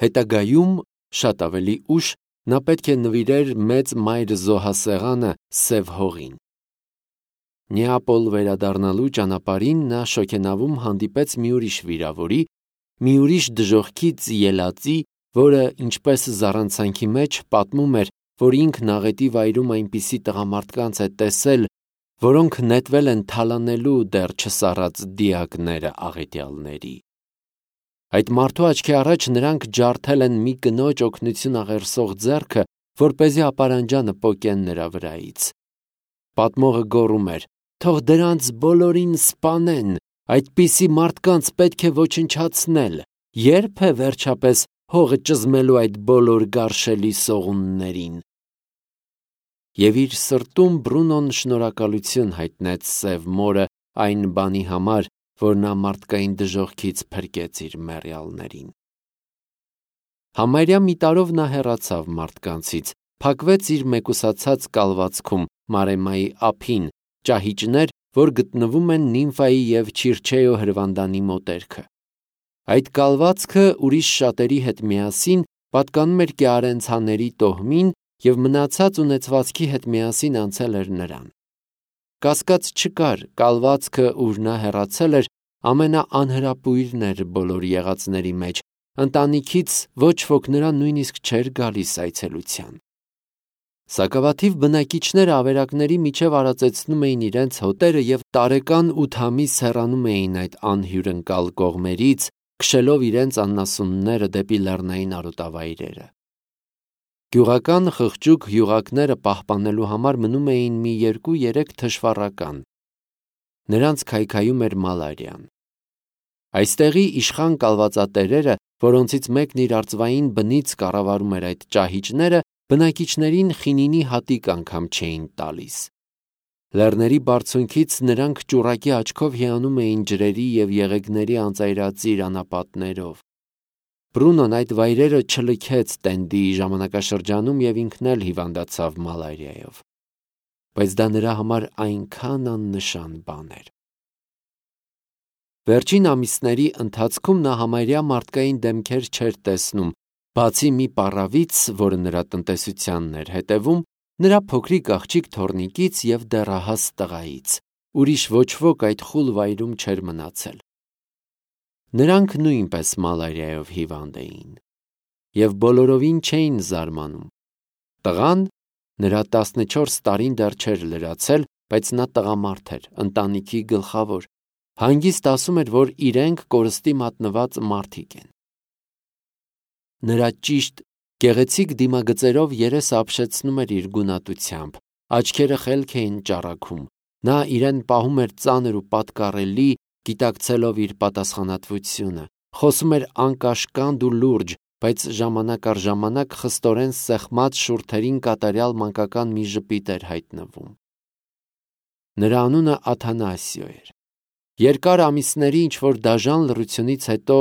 Հետագայում շատ ավելի ուշ նա պետք է նվիրեր մեծ մայր զոհասեղանը Սև հողին։ Նեապոլ վերադառնալու ճանապարհին նա շոգենավում հանդիպեց մի ուրիշ վիրավորի, մի ուրիշ դժոխքից ելածի, որը, ինչպես զառանցանքի մեջ, պատմում էր, որ ինքն աղետի վայրում այնպիսի տղամարդկանց է տեսել, որոնք նետվել են թալանելու դեռ չսառած դիակները աղետյալների։ Այդ մարդու աչքի առաջ նրանք ջարդել են մի կնոջ օգնություն աղերսող ձեռքը, որպեսզի ապարանջանը պոկեն նրա վրայից։ Պատմողը գոռում էր. «Թող դրանց բոլորին սպանեն, այդպիսի մարդկանց պետք է ոչնչացնել, ե՞րբ է վերջապես հողը ճզմելու այդ բոլոր գարշելի սողուններին»։ Եվ իր սրտում Բրունոն շնորհակալություն հայտնեց Սև մորը այն բանի համար, որ նա մարդկային դժոխքից փրկեց իր մեռյալներին։ Համարյա մի տարով նա հեռացավ մարդկանցից, փակվեց իր մեկուսացած կալվածքում Մարեմայի ափին, ճահիճներ, որ գտնվում են Նիմֆայի և Չիրչեո հրվանդանի մոտերքը։ Այդ կալվածքը ուրիշ շատերի հետ միասին պատկանում էր Կեարենցաների տոհմին և մնացած ունեցվածքի հետ միասին անցել էր նրան։ Կասկած չկար, կալվածքը, ուր նա հեռացել էր, ամենաանհրապույրն էր բոլոր եղածների մեջ, ընտանիքից ոչ ոք նրան նույնիսկ չէր գալիս այցելության։ Սակավաթիվ բնակիչները ավերակների միջև արածեցնում էին իրենց հոտերը և տարեկան 8 ամիս հեռանում էին այդ անհյուրընկալ կողմերից, քշելով իրենց անասունները դեպի լեռնային արոտավայրերը։ Գյուղական խղճուկ յուղակները պահպանելու համար մնում էին մի 2-3 թշվառական։ Նրանց քայքայում էր մալարիան։ Այստեղի իշխան կալվածատերերը, որոնցից մեկն իր արծվային բնից կառավարում էր այդ ճահիճները, բնակիչներին խինինի հատիկ անգամ չէին տալիս։ Լեռների բարձունքից նրանք ճուռակի աչքով հիանում էին ջրերի և եղեգների անծայրածիր անապատներով։ Բրունոն այդ վայրերը չլքեց տենդի ժամանակաշրջանում և ինքն էլ հիվանդացավ մալարիայով։ Բայց դա նրա համար այնքան աննշան բան էր։ Վերջին ամիսների ընթացքում նա համարյա մարդկային դեմքեր չէր տեսնում, բացի մի պառավից, որը նրա տնտեսությանն էր հետևում, նրա փոքրիկ աղջիկ թոռնիկից և դեռահաս տղայից։ Ուրիշ ոչ ոք այդ խուլ վայրում չէր մնացել։ Նրանք նույնպես մալարիայով հիվանդ էին։ Եվ բոլորովին չէին զարմանում։ Տղան, նրա 14 տարին դեռ չէր լրացել, բայց նա տղամարդ էր, ընտանիքի գլխավոր, հանգիստ ասում էր, որ իրենք կորստի մատնված մարդիկ են։ Նրա ճիշտ, գեղեցիկ դիմագծերով երեսը ապշեցնում էր իր գունատությամբ, աչքերը խելք էին ճառագում, նա իրեն պահում էր ծանր ու պատկառելի, գիտակցելով իր պատասխանատվությունը, խոսում էր անկաշկանդ ու լուրջ, բայց ժամանակ առ ժամանակ խստորեն սեղմած շուրթերին կատարյալ մանկական մի ժպիտ էր հայտնվում։ Նրա անունը Աթանասիո էր։ Երկար ամիսների ինչ-որ դաժան լռությունից հետո,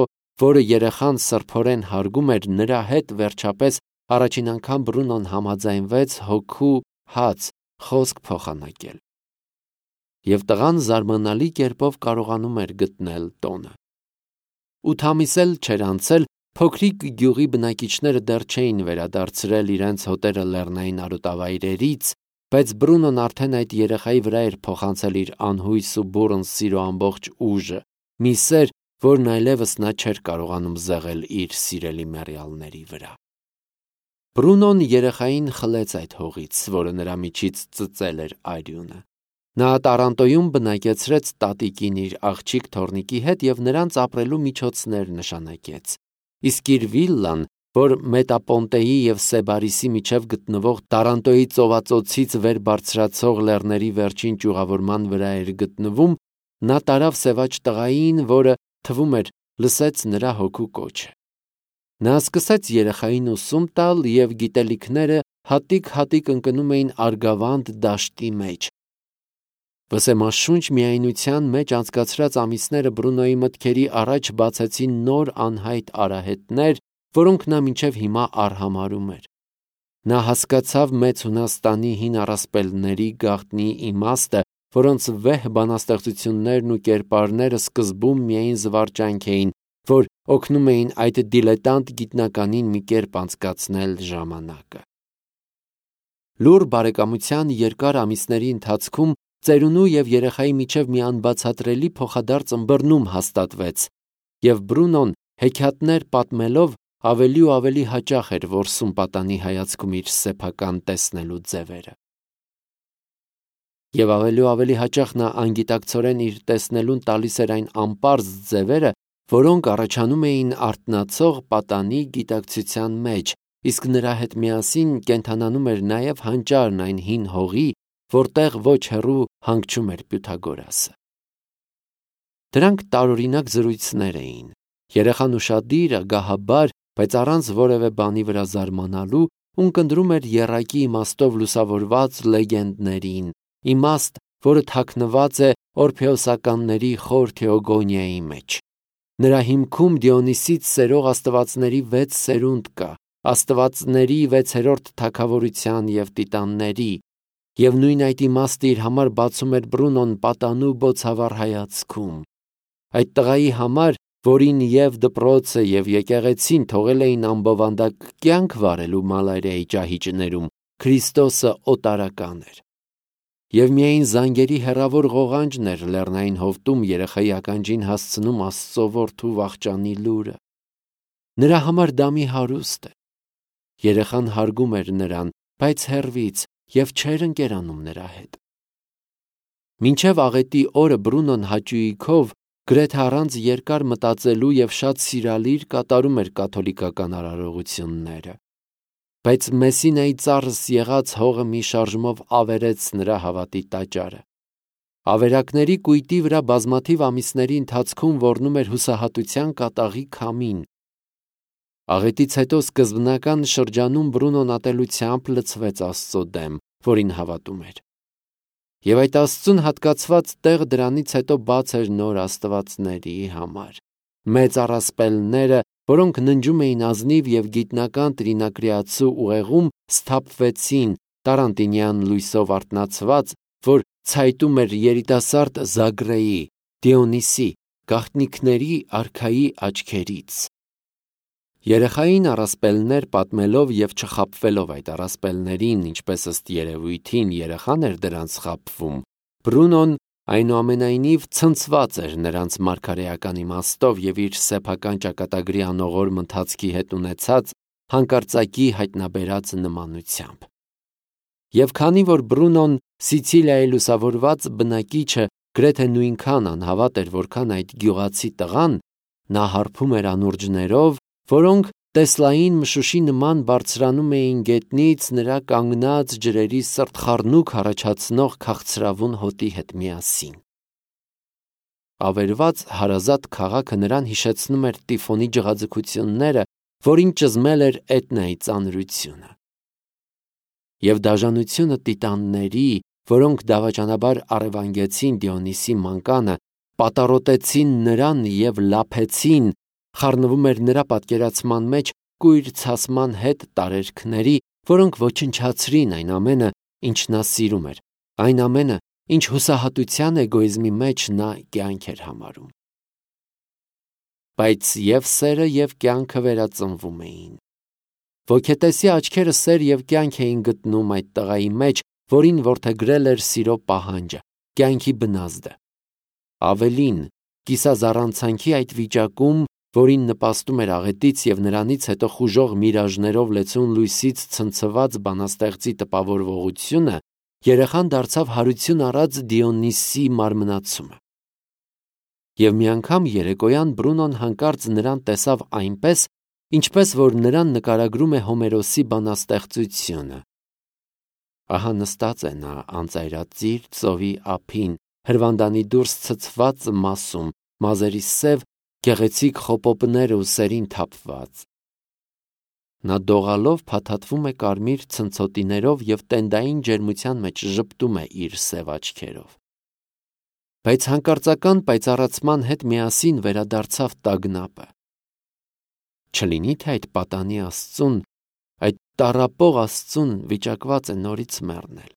որը երեխան սրբորեն հարգում էր, նրա հետ վերջապես առաջին անգամ Բրունոն համաձայնվեց հոգու հաց խոսք փոխանակել։ Եվ տղան զարմանալի կերպով կարողանում էր գտնել տոնը։ 8 ամիս էլ չէր անցել, փոքրիկ գյուղի բնակիչները դեռ չէին վերադարձրել իրենց հոտերը լեռնային արոտավայրերից, բայց Բրունոն արդեն այդ երեխայի վրա էր փոխանցել իր անհույս ու բուռն սիրո ամբողջ ուժը, մի սեր, որն այլևս նա չէր կարողանում զեղել իր սիրելի մեռյալների վրա։ Բրունոն երեխային խլեց այդ հողից, որը նրա միջից ծծել էր արյունը։ Նա Տարանտոյում բնակեցրեց տատիկին իր աղջիկ թոռնիկի հետ և նրանց ապրելու միջոցներ նշանակեց։ Իսկ իր վիլլան, որ Մետապոնտեի և Սեբարիսի միջև գտնվող Տարանտոյի ծովածոցից վեր բարձրացող լեռների վերջին ճյուղավորման վրա էր գտնվում, նա տարավ սևաճ տղային, որը, թվում էր, լսեց նրա հոգու կոչը։ Նա սկսեց երեխային ուսում տալ, և գիտելիքները հատիկ-հատիկ ընկնում էին Արգավանդ դաշտի մեջ։ Վսեմաշունչ միայնության մեջ անցկացրած ամիսները Բրունոյի մտքերի առաջ բացեցին նոր անհայտ արահետներ, որոնք նա մինչև հիմա արհամարհում էր։ Նա հասկացավ Մեծ Հունաստանի հին առասպելների գաղտնի իմաստը, որոնց վեհ բանաստեղծություններն ու կերպարները սկզբում միայն զվարճանք էին, որ օգնում էին այդ դիլետանտ գիտնականին մի կերպ անցկացնել ժամանակը։ Լուռ բարեկամության երկար ամիսների ընթացքում ծերունու և երեխայի միջև մի անբացատրելի փոխադարձ ըմբռնում հաստատվեց, և Բրունոն հեքիաթներ պատմելով ավելի ու ավելի հաճախ էր որսում պատանի հայացքում իր սեփական տեսնելու ձևերը։ Եվ ավելի ու ավելի հաճախ նա անգիտակցորեն իր տեսնելուն տալիս էր այն անպարզ ձևերը, որոնք առաջանում էին արթնացող պատանի գիտակցության մեջ, իսկ նրա հետ միասին կենդանանում էր նաև հանճարն այն հին հողի, որտեղ ոչ հեռու հանգչում էր Պյութագորասը։ Դրանք տարօրինակ զրույցներ էին։ Երեխան ուշադիր, ագահաբար, բայց առանց որևէ բանի վրա զարմանալու, ունկնդրում էր եռակի իմաստով լուսավորված լեգենդներին, իմաստ, որը թաքնված է օրփեոսականների խոր թեոգոնիայի մեջ։ Նրա հիմքում Դիոնիսից սերող աստվածների 6 սերունդ կա, աստվածների 6-րդ թագավորության և տիտանների, և նույն այդ իմաստը իր համար բացում էր Բրունոն պատանու բոցավառ հայացքում։ Այդ տղայի համար, որին և դպրոցը և եկեղեցին թողել էին ամբովանդակ կյանք վարելու Մալարիայի ճահիճներում, Քրիստոսը օտարական էր։ Եվ միայն զանգերի հեռավոր ղողանջն էր լեռնային հովտում երեխայի ականջին հասցնում Աստծո որդու վախճանի լուրը։ Նրա համար դա մի հարուստ էր։ Երեխան հարգում էր նրան, բայց հեռվից, և չէր ընկերանում նրա հետ։ Մինչև աղետի օրը Բրունոն հաճույքով, գրեթե առանց երկար մտածելու և շատ սիրալիր կատարում էր կաթոլիկական արարողությունները։ Բայց Մեսսինայի ծառս եղած հողը մի շարժումով ավերեց նրա հավատի տաճարը։ Ավերակների կույտի վրա բազմաթիվ ամիսների ընթացքում ոռնում էր հուսահատության կատաղի քամին։ Աղետից հետո սկզբնական շրջանում Բրունոն ատելությամբ լցվեց Աստծո դեմ, որին հավատում էր։ Եվ այդ Աստծուն հատկացված տեղը դրանից հետո բաց էր նոր աստվածների համար։ Մեծ առասպելները, որոնք ննջում էին ազնիվ և գիտնական տրինակրիացու ուղեղում, սթափվեցին տարանտինյան լույսով արթնացված, որ ցայտում էր երիտասարդ Զագրեի, Դիոնիսի, գաղտնիքների արքայի աչքերից։ Երեխային առասպելներ պատմելով և չխաբվելով այդ առասպելներին, ինչպես ըստ երևույթին երեխան էր դրանց խաբվում, Բրունոն այնուամենայնիվ ցնցված էր նրանց մարգարեական իմաստով և իր սեփական ճակատագրի անողորմ ընթացքի հետ ունեցած հանկարծակի հայտնաբերած նմանությամբ։ Եվ քանի որ Բրունոն Սիցիլիայի լուսավորված բնակիչը գրեթե նույնքան անհավատ էր, որքան այդ գյուղացի տղան, նա հարբում էր անուրջներով, որոնք Տեսլային մշուշի նման բարձրանում էին գետնից նրա կանգնած ջրերի սրտխառնուկ առաջացնող քաղցրավուն հոտի հետ միասին։ Ավերված հարազատ քաղաքը նրան հիշեցնում էր Տիֆոնի ջղաձգությունները, որին ճզմել էր Էտնայի ծանրությունը։ Եվ դաժանությունը տիտանների, որոնք դավաճանաբար առևանգեցին Դիոնիսի մանկանը, պատառոտեցին նրան և լափեցին, խառնվում էր նրա պատկերացման մեջ կույր ցասման հետ տարերքների, որոնք ոչնչացրին այն ամենը, ինչ նա սիրում էր, այն ամենը, ինչ հուսահատության էգոիզմի մեջ նա կյանք էր համարում։ Բայց և սերը և կյանքը վերածնվում էին։ Ոգետեսի աչքերը սեր և կյանք էին գտնում այդ տղայի մեջ, որին որդեգրել էր սիրո պահանջը, կյանքի բնազդը։ Ավելին, կիսազառանցանքի այդ վիճակում, որին նպաստում էր աղետից և նրանից հետո խուժող միրաժներով լեցուն լույսից ցնցված բանաստեղծի տպավորվողությունը, երեխան դարձավ հարություն առած Դիոնիսի մարմնացումը։ Եվ մի անգամ երեկոյան Բրունոն հանկարծ նրան տեսավ այնպես, ինչպես որ նրան նկարագրում է Հոմերոսի բանաստեղծությունը։ Ահա նստած է նա անծայրածիր ծովի ափին, հրվանդանի դուրս ցցված մասում, մազերի սև, գեղեցիկ խոպոպները ուսերին թափված։ Նա դողալով փաթաթվում է կարմիր ցնցոտիներով և տենդային ջերմության մեջ ժպտում է իր սև աչքերով։ Բայց հանկարծական պայծառացման հետ միասին վերադարձավ տագնապը։ Չլինի՞ թե այդ պատանի Աստծուն, այդ տառապող Աստծուն վիճակված է նորից մեռնել։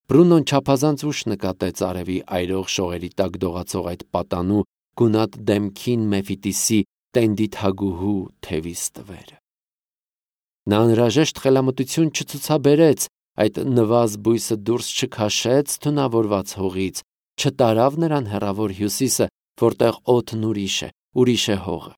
Բրունոն չափազանց ուշ նկատեց արևի այրող շողերի տակ դողացող այդ պատանու գունատ դեմքին Մեֆիտիսի տենդի թագուհու թևիս տվերը։ Նա անհրաժեշտ խելամտություն չցուցաբերեց, այդ նվազ բույսը դուրս չքաշեց թունավորված հողից, չտարավ նրան հեռավոր հյուսիսը, որտեղ օդն ուրիշ է հողը։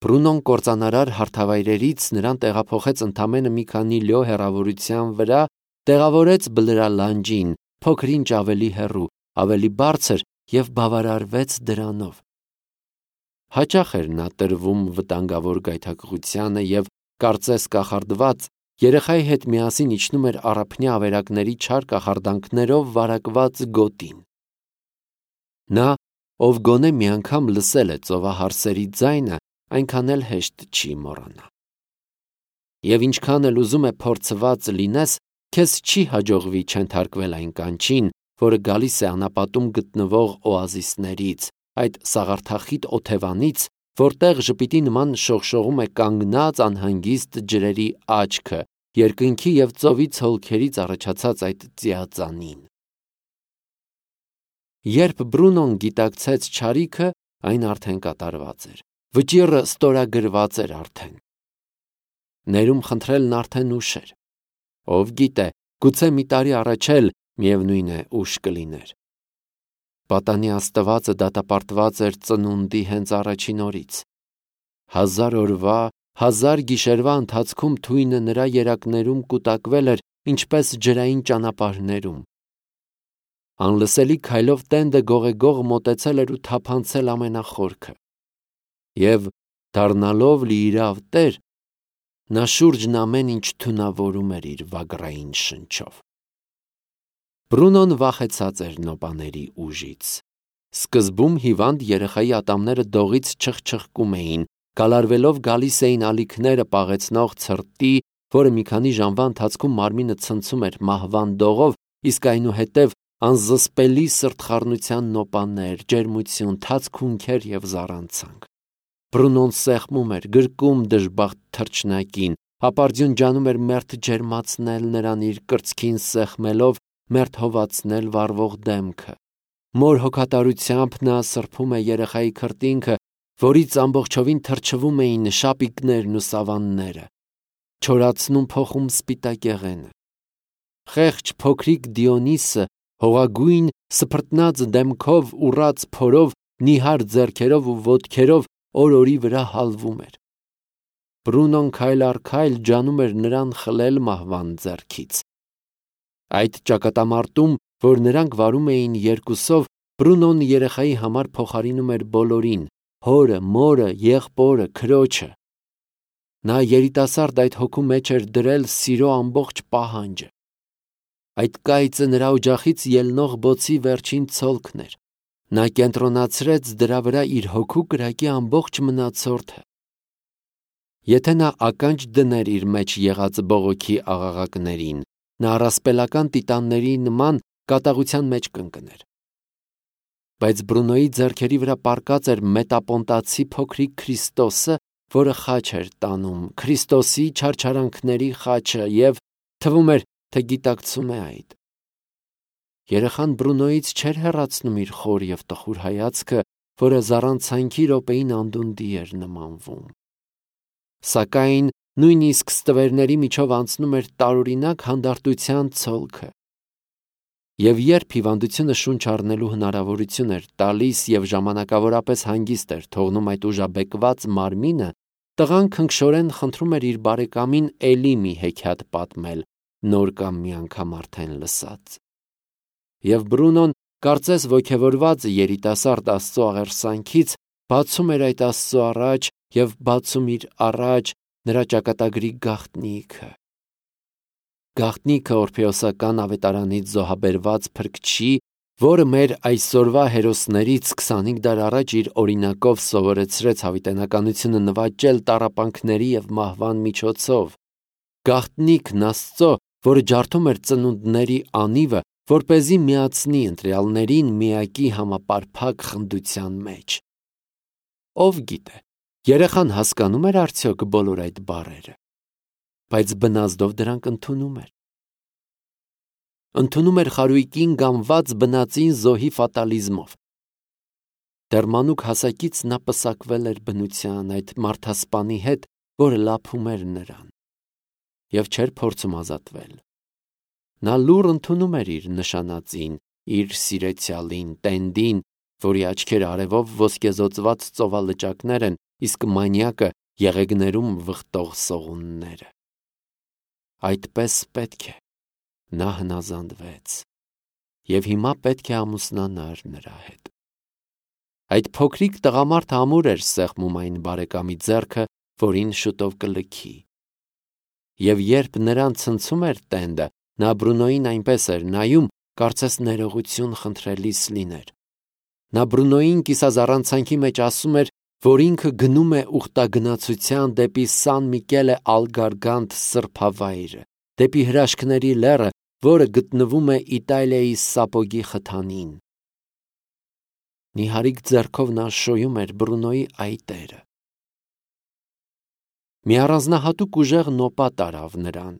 Բրունոն կործանարար հարթավայրերից նրան տեղափոխեց ընդամենը մի քանի լյո հեռավորության վրա, տեղավորեց բլրալանջին, փոքր-ինչ ավելի հեռու, ավելի բարձր և բավարարվեց դրանով։ Հաճախ էր նա տրվում վտանգավոր գայթակղությանը և կարծես կախարդված երեխայի հետ միասին իջնում էր առափնյա ավերակների չար կախարդանքներով վարակված գոտին։ Նա, ով գոնե մի անգամ լսել է ծովահարսերի ձայնը, այնքան էլ հեշտ չի մոռանա։ Եվ ինչքան էլ ուզում է փորձված լինես, քեզ չի հաջողվի չենթարկվել այն կանչին, որը գալիս է անապատում գտնվող օազիսներից, այդ սաղարթախիտ օթևանից, որտեղ ժպիտի նման շողշողում է կանգնած անհանգիստ ջրերի աչքը, երկնքի և ծովի ցոլքերից առաջացած այդ ծիածանին։ Երբ Բրունոն գիտակցեց չարիքը, այն արդեն կատարված էր։ Վճիռը ստորագրված էր արդեն։ Ներում խնդրելն արդեն ուշ էր։ Ով գիտե, գուցե մի տարի առաջ էլ միևնույն է ուշ կլիներ։ Պատանի Աստվածը դատապարտված էր ծնունդի հենց առաջին օրից։ 1000 օրվա, 1000 գիշերվա ընթացքում թույնը նրա երակներում կուտակվել էր, ինչպես ջրային ճանապարհներում։ Անլսելի քայլով տենդը գողեգող մոտեցել էր ու թափանցել ամենախորքը։ Եվ դառնալով լիիրավ տեր, նա շուրջն ամեն ինչ թունավորում էր իր վագրային շնչով։ Բրունոն վախեցած էր նոպաների ուժից։ Սկզբում հիվանդ երեխայի ատամները դողից չխչխկում էին, գալարվելով գալիս էին ալիքները պաղեցնող ցրտի, որը մի քանի ժամվա ընթացքում մարմինը ցնցում էր մահվան դողով, իսկ այնուհետև անզսպելի սրտխառնության նոպաներ, ջերմություն, թաց քունքեր և զառանցանք։ Բրունոն սեղմում էր, գրկում դժբախտ թռչնակին, հապարձյուն ջանում էր մերթ ջերմացնել նրան իր կրծքին սեղմելով, մերթ հովացնել վառվող դեմքը։ Մոր հոգատարությամբ նա սրբում է երեխայի քրտինքը, որից ամբողջովին թրջվում էին շապիկներն ու սավանները, չորացնում փոխում սպիտակեղենը։ Խեղճ փոքրիկ Դիոնիսը հողագույն սփռտնած դեմքով, ուռած փորով, նիհար ձեռքերով ու ոտքերով օր-օրի վրա հալվում էր։ Բրունոն քայլ առ քայլ ջանում էր նրան խլել մահվան ձեռքից։ Այդ ճակատամարտում, որ նրանք վարում էին երկուսով, Բրունոն երեխայի համար փոխարինում էր բոլորին՝ հորը, մորը, եղբորը, քրոջը։ Նա երիտասարդ այդ հոգու մեջ էր դրել սիրո ամբողջ պահանջը։ Այդ կայծը նրա օջախից ելնող բոցի վերջին ցոլքն էր։ Նա կենտրոնացրեց դրա վրա իր հոգու կրակի ամբողջ մնացորդը։ Եթե նա ականջ դներ իր մեջ եղած բողոքի աղաղակներին, նա առասպելական տիտանների նման կատաղության մեջ կընկներ։ Բայց Բրունոյի ձեռքերի վրա պառկած էր մետապոնտացի փոքրիկ Քրիստոսը, որը խաչ էր տանում, Քրիստոսի չարչարանքների խաչը, և թվում էր, թե գիտակցում է այդ։ Երեխան Բրունոյից չէր հեռացնում իր խոր և տխուր հայացքը, որը զառանցանքի րոպեին անդունդի էր նմանվում։ Սակայն նույնիսկ ստվերների միջով անցնում էր տարօրինակ հանդարտության ցոլքը։ Եվ երբ հիվանդությունը շունչ առնելու հնարավորություն էր տալիս և ժամանակավորապես հանգիստ էր թողնում այդ ուժաբեկված մարմինը, տղան քնքշորեն խնդրում էր իր բարեկամին էլի մի հեքիաթ պատմել, նոր կամ մի անգամ արդեն լսած։ Եվ Բրունոն, կարծես ոգևորված երիտասարդ Աստծո աղերսանքից, բացում էր այդ Աստծո առաջ և բացում իր առաջ նրա ճակատագրի գաղտնիքը։ Գաղտնիքը օրփեոսական ավետարանից զոհաբերված փրկչի, որը մեր այսօրվա հերոսներից 25 դար առաջ իր օրինակով սովորեցրեց հավիտենականությունը նվաճել տառապանքների և մահվան միջոցով։ Գաղտնիքն Աստծո, որը ջարդում էր ծնունդների անիվը, որպեսզի միացնի ընտրյալներին միակի համապարփակ խնդության մեջ։ Ով գիտե, երեխան հասկանում էր արդյոք բոլոր այդ բառերը, բայց բնազդով դրանք ընդունում էր։ Ընդունում էր խարույկին գամված բնածին զոհի ֆատալիզմով։ Դեռ մանուկ հասակից նա պսակվել էր բնության այդ մարդասպանի հետ, որը լափում էր նրան, և չէր փորձում ազատվել։ Նա լուռ ընդունում էր իր նշանածին, իր սիրեցյալին, Տենդին, որի աչքերը արևով ոսկեզօծված ծովալճակներ են, իսկ մանյակը եղեգներում վխտող սողունները։ Այդպես պետք է, նա հնազանդվեց, և հիմա պետք է ամուսնանար նրա հետ։ Այդ փոքրիկ տղամարդը ամուր էր սեղմում այն բարեկամի ձեռքը, որին շուտով կլքի։ Եվ երբ նրան ցնցում էր Տենդը, նա Բրունոյին այնպես էր նայում, կարծես ներողություն խնդրելիս լիներ։ Նա Բրունոյին կիսազառանցանքի մեջ ասում էր, որ ինքը գնում է ուխտագնացության դեպի Սան Միկելե ալ Գարգանտ սրբավայրը, դեպի հրաշքների լեռը, որը գտնվում է Իտալիայի Սապոգի խթանին։ Նիհարիկ ձեռքով նա շոյում էր Բրունոյի այտերը։ Մի առանձնահատուկ ուժեղ նոպա տարավ նրան։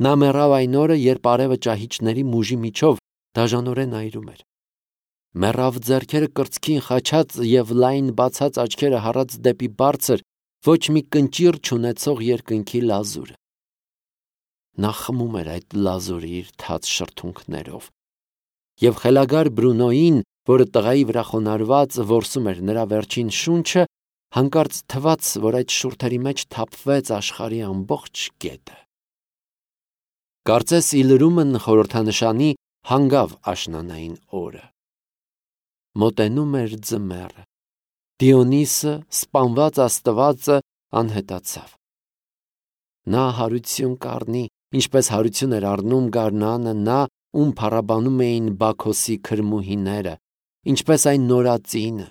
Նա մեռավ այն օրը, երբ արևը ճահիճների մուժի միջով դաժանորեն այրում էր։ Մեռավ ձեռքերը կրծքին խաչած և լայն բացած աչքերը հառած դեպի բարձր, ոչ մի կնճիռ չունեցող երկնքի լազուրը։ Նա խմում էր այդ լազուրը իր թաց շրթունքներով։ Եվ խելագար Բրունոյին, որը տղայի վրա խոնարհված որսում էր նրա վերջին շունչը, հանկարծ թվաց, որ այդ շուրթերի մեջ թափվեց աշխարհի ամբողջ գետը։ Կարծես ի լրումն խորհրդանշանի հանգավ աշնանային օրը։ Մոտենում էր ձմեռը։ Դիոնիսը, սպանված աստվածը, անհետացավ։ Նա հարություն կառնի, ինչպես հարություն էր առնում գարնանը նա, ում փառաբանում էին Բաքոսի քրմուհիները, ինչպես այն նորածինը։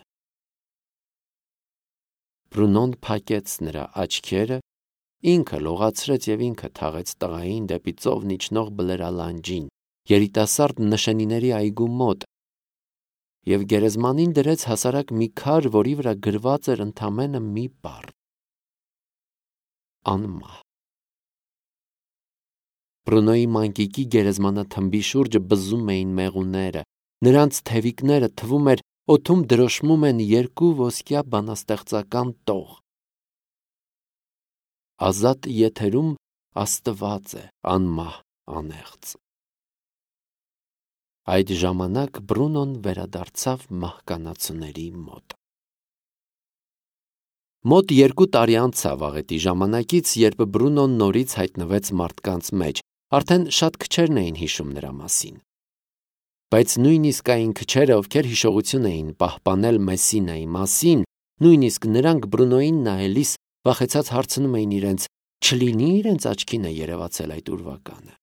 Բրունոն փակեց նրա աչքերը, ինքը լողացրեց և ինքը թաղեց տղային դեպի ծովն իջնող բլրալանջին, երիտասարդ նշանիների այգու մոտ, և գերեզմանին դրեց հասարակ մի քար, որի վրա գրված էր ընդամենը մի բառ. անմահ։ Բրունոյի մանկիկի գերեզմանաթմբի շուրջը բզում էին մեղուները, նրանց թևիկները թվում էր օդում դրոշմում են երկու ոսկյա բանաստեղծական տող։ Ազատ եթերում Աստված է, անմահ, անեղծ։ Այդ ժամանակ Բրունոն վերադարձավ մահկանացուների մոտ։ Մոտ 2 տարի անցավ աղետի ժամանակից, երբ Բրունոն նորից հայտնվեց մարդկանց մեջ, արդեն շատ քչերն էին հիշում նրա մասին։ Բայց նույնիսկ այն քչերը, ովքեր հիշողություն էին պահպանել Մեսսինայի մասին, նույնիսկ նրանք Բրունոյին նայելիս վախեցած հարցնում էին իրենց, չլինի իրենց աչքին է երևացել այդ ուրվականը։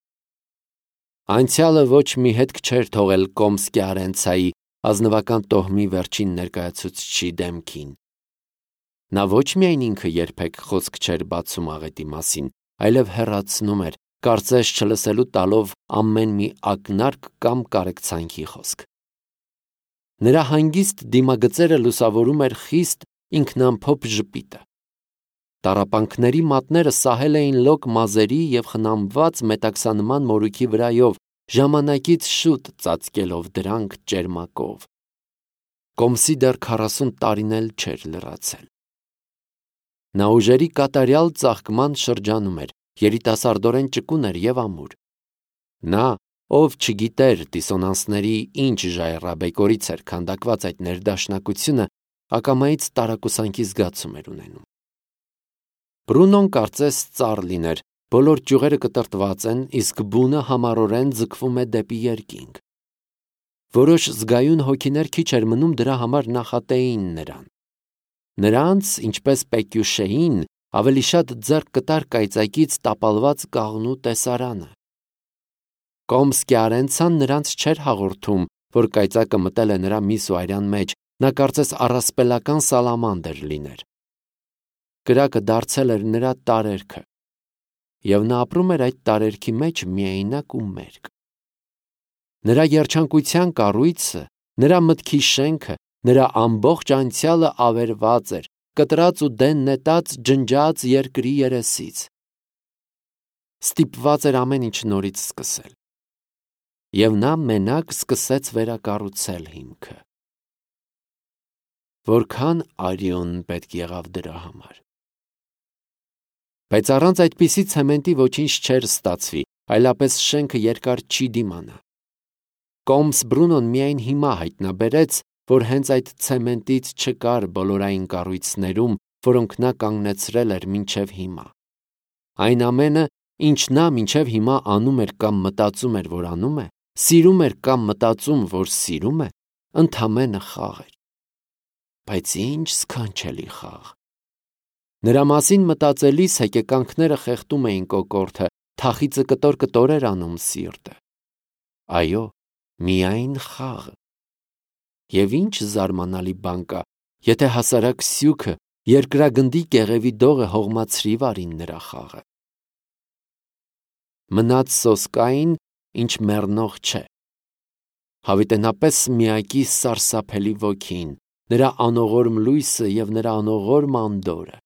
Անցյալը ոչ մի հետք չէր թողել Կոմսկի Արենցայի ազնվական տոհմի վերջին ներկայացուցչի դեմքին։ Նա ոչ միայն ինքը երբեք խոսք չէր բացում աղետի մասին, այլև հեռացնում էր, կարծես չլսելու տալով ամեն մի ակնարկ կամ կարեկցանքի խոսք։ Նրա հանգիստ դիմագծերը լուսավորում էր խիստ ինքնամփոփ ժպիտը։ Տառապանքների մատները սահել էին լոկ մազերի և խնամված մետաքսանման մորուքի վրայով, ժամանակից շուտ ծածկելով դրանք ճերմակով։ Կոմսի դեռ 40 տարին էլ չէր լրացել։ Նա ուժերի կատարյալ ծաղկման շրջանում էր, երիտասարդորեն ճկուն էր և ամուր։ Նա, ով չգիտեր դիսոնանսների ինչ ժայռաբեկորից էր քանդակված այդ ներդաշնակությունը, ակամայից տարակուսանքի զգացում էր ունենում։ Բրունոն կարծես ծառ լիներ, բոլոր ճյուղերը կտրտված են, իսկ բունը համառորեն ձգվում է դեպի երկինք։ Որոշ զգայուն հոգիներ քիչ էր մնում դրա համար նախատեին նրան։ Նրանց, ինչպես Պեկյուշեին, ավելի շատ ձեռք կտար կայծակից տապալված կաղնու տեսարանը։ Կոմսկի Արենցան նրանց չէր հաղորդում, որ կայծակը մտել է նրա միս ու արյան մեջ, նա կարծես առասպելական սալամանդր լիներ։ Կրակը դարձել էր նրա տարերքը, և նա ապրում էր այդ տարերքի մեջ միայնակ ու մերկ։ Նրա երջանկության կառույցը, նրա մտքի շենքը, նրա ամբողջ անցյալը ավերված էր, կտրած ու դեն նետած ջնջած երկրի երեսից։ Ստիպված էր ամեն ինչ նորից սկսել։ Եվ նա մենակ սկսեց վերակառուցել հիմքը։ որքան արյուն պետք եղավ դրա համար։ Բայց առանց այդպիսի ցեմենտի ոչինչ չէր ստացվի, այլապես շենքը երկար չի դիմանա։ Կոմս Բրունոն միայն հիմա հայտնաբերեց, որ հենց այդ ցեմենտից չկար բոլորային կառույցներում, որոնք նա կանգնեցրել էր մինչև հիմա։ Այն ամենը, ինչ նա մինչև հիմա անում էր կամ մտածում էր, որ անում է, սիրում էր կամ մտածում, որ սիրում է, ընդամենը խաղ էր։ Բայց ինչ սքանչելի խաղ։ Նրա մասին մտածելիս հեկեկանքները խեղդում էին կոկորդը, թախիծը կտոր-կտոր էր անում սիրտը։ Այո, միայն խաղը։ Եվ ինչ զարմանալի բան կա, եթե հասարակ սյուքը, երկրագնդի կեղևի դողը հողմացրի վարին նրա խաղը։ Մնաց սոսկային, ինչ մեռնող չէ։ Հավիտենապես միակի սարսափելի ոգին, նրա անողորմ լույսը և նրա անողորմ անդորը։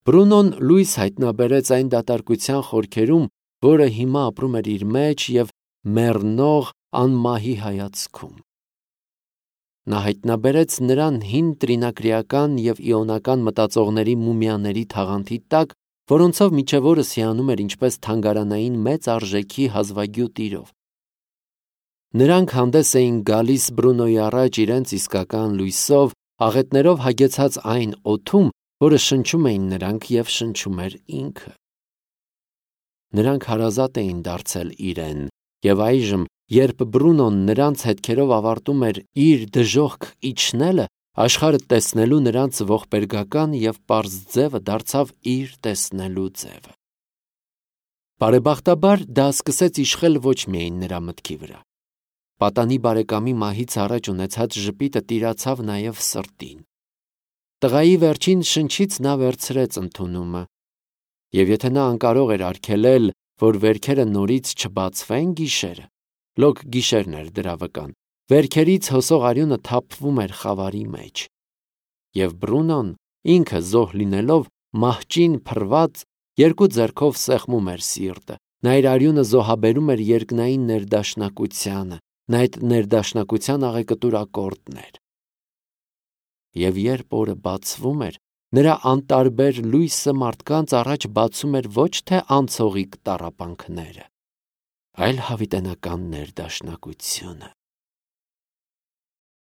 Բրունոն լույս հայտնաբերեց այն դատարկության խորքերում, որը հիմա ապրում էր իր մեջ և մեռնող անմահի հայացքում։ Նա հայտնաբերեց նրան հին տրինակրիական և իոնական մտածողների մումիաների թաղանթի տակ, որոնցով մինչև օրս հիանում էր ինչպես թանգարանային մեծ արժեքի հազվագյուտ իրով։ Նրանք հանդես էին գալիս Բրունոյի առաջ իրենց իսկական լույսով, աղետներով հագեցած այն օդում, որը շնչում էին նրանք և շնչում էր ինքը։ Նրանք հարազատ էին դարձել իրեն, և այժմ, երբ Բրունոն նրանց հետքերով ավարտում էր իր դժոխք իջնելը, աշխարհը տեսնելու նրանց ողբերգական և պարզ ձևը դարձավ իր տեսնելու ձևը։ Բարեբախտաբար դա սկսեց իշխել ոչ միայն նրա մտքի վրա։ Պատանի բարեկամի մահից առաջ ունեցած ժպիտը տիրացավ նաև սրտին։ Տղայի վերջին շնչից նա վերցրեց ընդունումը, և եթե նա անկարող էր արգելել, որ վերքերը նորից չբացվեն գիշերը, լոկ գիշերն էր դրա վկան, վերքերից հոսող արյունը թափվում էր խավարի մեջ։ Եվ Բրունոն, ինքը զոհ լինելով, մահճին փռված, երկու ձեռքով սեղմում էր սիրտը, նա իր արյունը զոհաբերում էր երկնային ներդաշնակությանը, նա այդ ներդաշնակության աղեկտուր ակորդն էր։ Եվ երբ օրը բացվում էր, նրա անտարբեր լույսը մարդկանց առաջ բացում էր ոչ թե անցողիկ տառապանքները, այլ հավիտենական ներդաշնակությունը։